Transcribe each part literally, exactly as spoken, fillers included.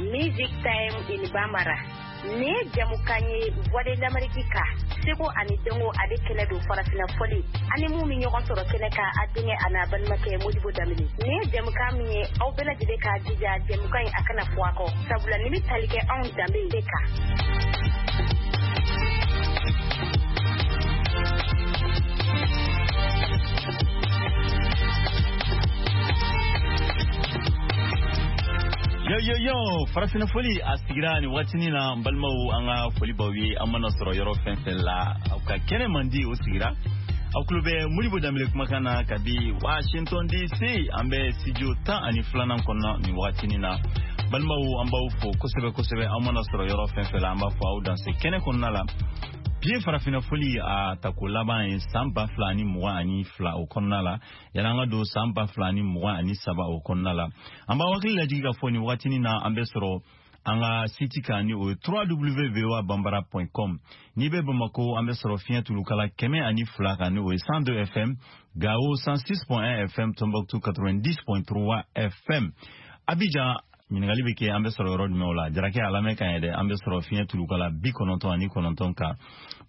Music Time in Bambara. Nin ye jamukan ye Voix de l'Amérique kan seko ani dɔnko ale kɛnɛ don farafinna fɔli ani mun bɛ ɲɔgɔn sɔrɔ kɛnɛ kan a denkɛ a n'a balimakɛ Modibo Danbele. Nin ye jamukan min ye aw bɛɛ lajɛlen k'a jija jamukan in a kana fɔ a kɔ sabula nin bɛ tali kɛ anw danbe de kan. Yo yo yo, farafinna foli a sigira nin waatinin na. N balimaw, an ka foli b'aw ye an mana sɔrɔ yɔrɔ fɛn fɛn la, aw ka kɛnɛ man di o sigira. Aw tulo bɛ Modibo Danbele kumakan na kabi Washington D C, an bɛ studio tan ani filanan kɔnɔ nin waatinin na. Balimaw, an b'aw fo kosɛbɛ kosɛbɛ aw mana sɔrɔ yɔrɔ fɛn fɛn la, an b'a fɔ aw danse kɛnɛ kɔnɔna la. Bi ye farafinna foli a tako laban ye san ba fila ani mugan ani fila o kɔnɔna la, yanni an ka don san ba fila ani mugan ani saba o kɔnɔna la. An b'aw hakili lajigin k'a fɔ nin waatinin na, an bɛ sɔrɔ an ka site kan ni o ye W W voa bambara point com. N'i bɛ Bamako, an bɛ sɔrɔ fiɲɛ tulukala kɛmɛ ani fila kan ni o ye cent deux F M, Gao cent six point un F M, Tombouctou quatre-vingt-dix point trois F M. Abidjan, ɲininkali bɛ kɛ an bɛ sɔrɔ yɔrɔ jumɛn o la? Jarakɛ a lamɛn kan ye dɛ, an bɛ sɔrɔ fiɲɛ tulukala bi kɔnɔntɔn ani kɔnɔntɔn kan.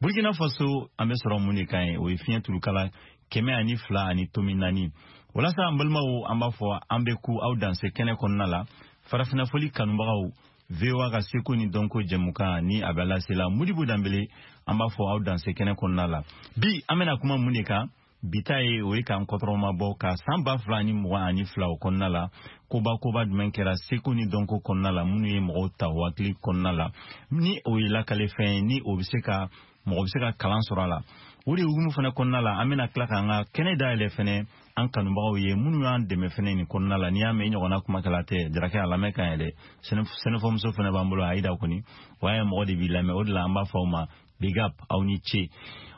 Burkina Faso, an bɛ sɔrɔ mun de kan ye? O ye fiɲɛ tulukala kɛmɛ ani fila ani tomi naani. Walasa an balimaw, an b'a fɔ an bɛ ku aw danse kɛnɛ kɔnɔna la. Farafinna foli kanubagaw, V O A ka seko ni dɔnko jɛmukan ni a bɛ lasela Modibo Danbele, an b'a fɔ aw danse kɛnɛ kɔnɔna la. Bi an bɛna kuma mun de kan? Bi ta ye o ye k'an kɔtɔrɔma bɔ ka san ba fila ani mugan ani fila o kɔnɔna la, koba koba jumɛn kɛra seko ni dɔnko kɔnɔna la minnu ye mɔgɔw ta hakili kɔnɔna la, ni o ye lakalefɛn ye, ni o bɛ se ka mɔgɔ bɛ se ka kalan sɔrɔ a la. O de hukumu fana kɔnɔna la, an bɛna tila k'an ka kɛnɛ dayɛlɛ fɛnɛ an kanubagaw ye minnu y'an dɛmɛ fɛnɛ nin kɔnɔna la. N'i y'a mɛn i ɲɔgɔnna kumakɛla tɛ, Jarakɛ a lamɛn kan yɛrɛ. Sɛnɛfɔmuso fɛnɛ b'an bolo, Ayida kɔni o y'a ye mɔgɔ de b'i lamɛn, o de la an b'a fɔ aw ma big up, aw ni ce.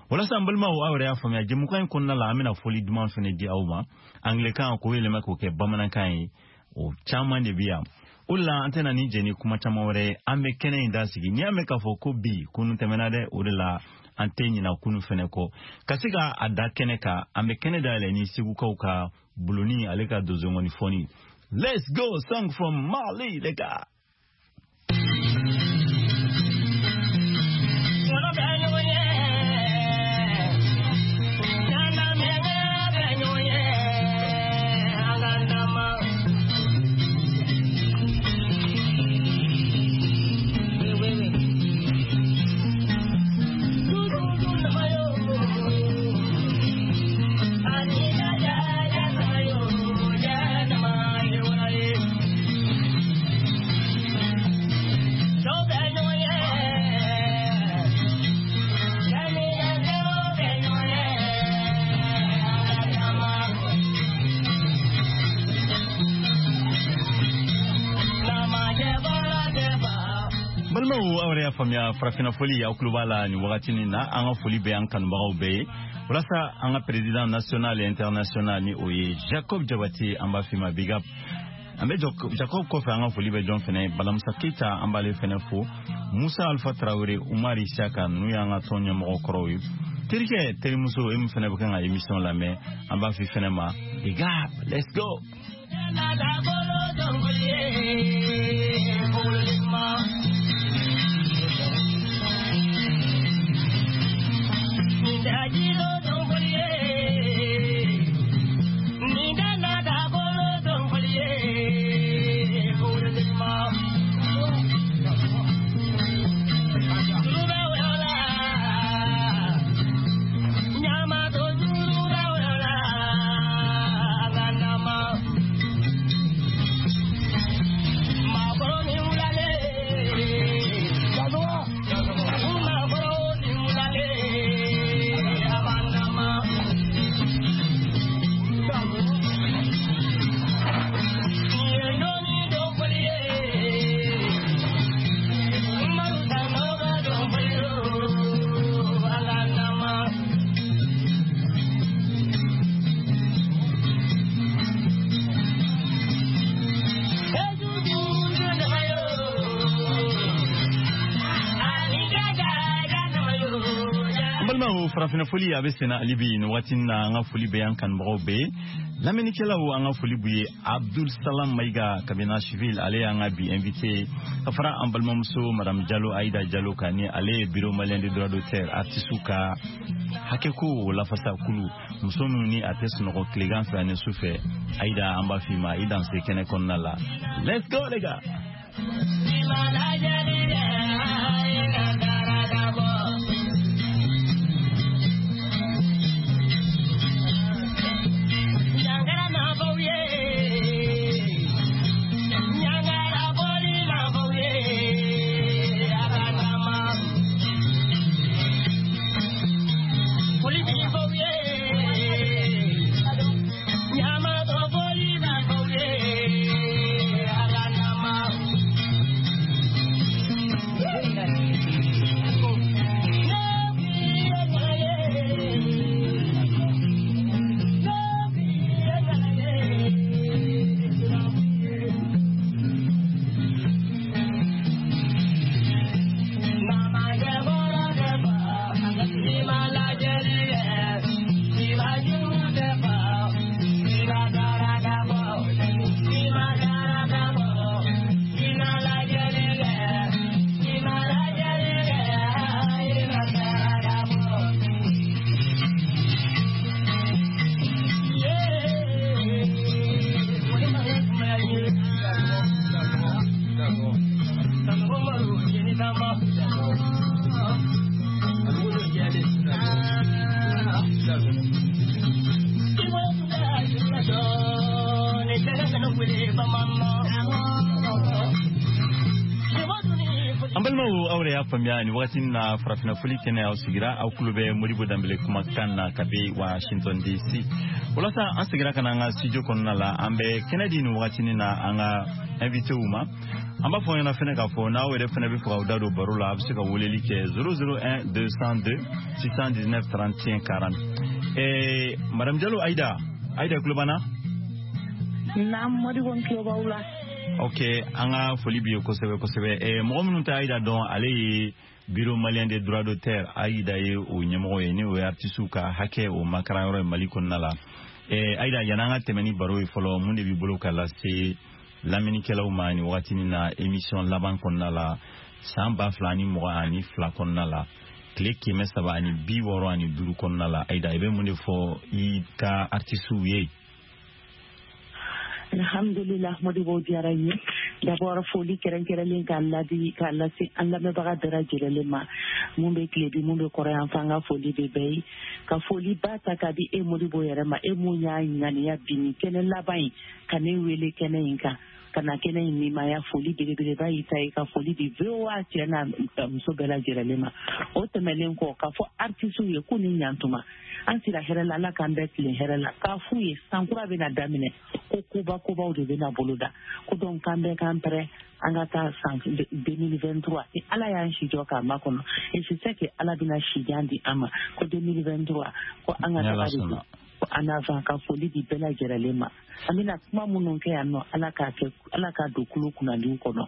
Walasa an balimaw, aw yɛrɛ y'a faamuya, jɛmukan in kɔnɔna la, an bɛna fɔli duman fɛnɛ di aw ma anglɛkan k'o yɛlɛma k'o kɛ bamanankan ye. O caman de bɛ yan, o de la an tɛna ni jɛ ni kuma caman wɛrɛ ye, an bɛ kɛnɛ in da sigi. N'i y'a mɛn k'a fɔ ko bi kunu tɛmɛna dɛ, o de la an tɛ ɲina kunu fɛnɛ kɔ ka se ka a da kɛnɛ kan. An bɛ kɛnɛ dayɛlɛ ni Segukaw ka buloni ale ka donsongɔni fɔni. Let's go, song from Mali, les gars. Balimaw, aw yɛrɛ y'a faamuya, farafinna foli aw tulo b'a la nin wagati nin na. An ka foli bɛ an kanubagaw bɛɛ ye. Walasa an ka président national et international ni o ye Jacob Jabate, an b'a f'i ma big up. An bɛ Jacob kɔfɛ, an ka foli bɛ jɔn fɛnɛ? Balamusa Keyita, an b'ale fɛnɛ fo. Musa Alpha Tarawele, Umar Isaka, ninnu y'an ka tɔn ɲɛmɔgɔ kɔrɔw ye. Terikɛ, terimuso, e min fɛnɛ bɛ kan ka émission lamɛn, an b'a f'i fɛnɛ ma big up, let's go. Farafinna foli a bɛ senna hali bi nin waati in na. An ka foli bɛ an kanubagaw bɛɛ ye, lamɛnnikɛlaw, an ka foli b'u ye. Abdul Salam Mayiga kabi Nashville, ale y'an ka bi invité, ka fara an balimamuso Madame Jalo, Aïda Jalo kan, ni ale ye Bureau malien de droit d'auteur, artiste ka hakɛko lafasa kulu, muso minnu ni a tɛ sunɔgɔ tilegan fɛ ani su fɛ. Aïda, an b'a f'i ma i danse kɛnɛ kɔnɔna la. Let's go les gars. An balimaw, aw de y'a faamuya nin wagati na, farafinna foli kɛnɛ aw sigira, aw tulo bɛ Modibo Danbele kumakan na kabi Washington D C. Walasa an seginna ka na an ka studio kɔnɔna la, an bɛ kɛnɛ di nin wagatinin na an ka invitéw ma. An b'a fɔ ɲɛna fɛnɛ k'a fɔ n'aw yɛrɛ fɛnɛ bɛ fɛ k'aw da don baro la, a bɛ se ka weleli kɛ zéro zéro un deux cent deux six cent dix-neuf trente et un quarante. Eh, Madame Diallo Aïda, Aïda tulo b'an na? Naam, Modibo, n tulo b'aw la. Ok, an ka foli b'i ye kosɛbɛ kosɛbɛ. eh, mɔgɔ minnu tɛ Aïda dɔn, ale ye Bureau malien des droits d'auteur, Aïda ye o ɲɛmɔgɔ ye, ni o ye artisiw ka hakɛ o makaranyɔrɔ ye Mali kɔnɔna la. eh, Aïda, yan'an ka tɛmɛ ni baro ye fɔlɔ, mun de b'i bolo ka lase lamɛnnikɛlaw ma nin wagatinin na, émission laban kɔnɔna la, san ba fila ani mugan ani fila kɔnɔna la, tile kɛmɛ saba ani bi wɔɔrɔ ani duuru kɔnɔna la? Aïda, i bɛ mun de fɔ i ka artisiw ye? Alhamdulillah, Modibo, diyara n ye. D'abord, foli kɛrɛnkɛrɛnlen k'a ladi k'a lase an lamɛnbaga bɛɛ lajɛlen ma, mun bɛ tilebi, mun bɛ kɔrɔ yan fɛ, an ka foli bɛ bɛɛ ye. Ka foli ba ta k'a di e Modibo yɛrɛ ma, e mun y'a ŋaniya bi nin kɛnɛ laban in ka ne wele kɛnɛ in kan, ka na kɛnɛ in nimaya. Foli belebeleba y'i ta ye. Ka foli di V O A cɛ n'a muso bɛɛ lajɛlen ma. O tɛmɛnen kɔ, k'a fɔ artisiw ye k'u ni ɲantuma, an sira hɛrɛ la, Ala k'an bɛɛ tilen hɛrɛ la. K'a f'u ye sankura bɛna daminɛ, ko koba kobaw de bɛna boloda, ko donc k'an bɛɛ k'an pɛrɛ an ka taa san deux mille vingt-trois, ni Ala y'an si jɔ k'a makɔnɔ, et c'est ça que Ala bɛna sijan di an ma, ko deux mille vingt-trois, ko an ka taga de don ko en avant. Ka foli di bɛɛ lajɛlen ma. An bɛna kuma minnu kɛ yan nɔ, Ala k'a kɛ, Ala k'a don kulo kunnadiw kɔnɔ.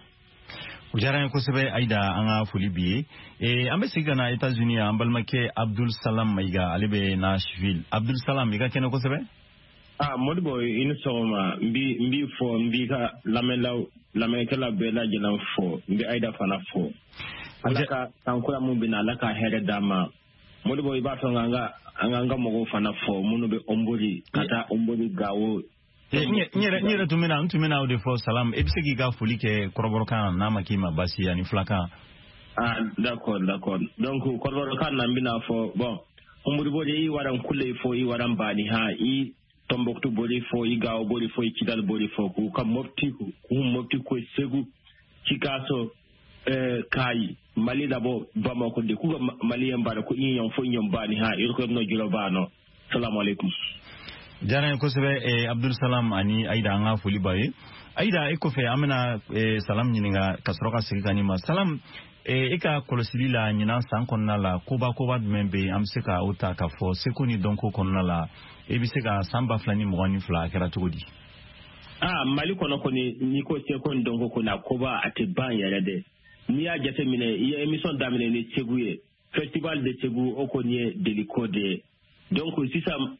O diyara n ye kosɛbɛ Aïda, an ka foli b'i ye. eh, an bɛ segin ka na États-Unis, an balimakɛ Abdul Salam Mayiga, ale bɛ Nashville. Abdul Salam, i ka kɛnɛ kosɛbɛ. Ah, Modibo, i ni sɔgɔma. N b'i n b'i fɔ, n b'i ka lamɛnlaw, lamɛnnikɛla bɛɛ lajɛlen fɔ, n bɛ Aïda fana fɔ. Ala ka sankura mun bɛ na, Ala ka hɛrɛ d'a ma. Modibo, i b'a fɛ an ka an ka an ka mɔgɔw fana fɔ minnu bɛ Hombori, ka taa Hombori, Gawo. N yɛrɛ n yɛrɛ tun bɛna n tun bɛna o de fɔ. Salam, e bɛ se k'i ka foli kɛ kɔrɔbɔrɔkan n'a ma k'i ma baasi ye, ani filakan. Ah, d'accord d'accord donc kɔrɔbɔrɔkan na, n bɛna fɔ bon, Hombori bori i waran kule fo, i waran bani ha, i Tombouctou bori fo, i Gao bori fo, i Kidal bori fo, ku ka Mopti, ku Mopti ko Segu, Sikasso, eh, Kayi, Mali d'abord, Bamako de ku Malien bara ko inyon fo inyon bani ha irko no juro bano. Assalamu alaikum. Diyara n ye kosɛbɛ, eh, Abdul Salam ani Aïda, an ka foli b'a ye. Aïda, e kɔfɛ, an bɛna eh, Salam ɲininka ka sɔrɔ ka segin ka nin ma. Salam, eh, e ka kɔlɔsili la ɲinan san kɔnɔna la, koba koba jumɛn bɛ yen an bɛ se ka o ta k'a fɔ seko ni dɔnko kɔnɔna la? E bɛ se ka san ba fila ni mugan ni fila a kɛra cogo di? Ah, Mali kɔnɔ kɔni, n'i ko seko ni dɔnko kɔni, a koba a tɛ ban yɛrɛ dɛ. N'i y'a jateminɛ, i ye émission daminɛ ni Segu ye. Festival de Segu, o kɔni ye deliko de ye. Donc sisan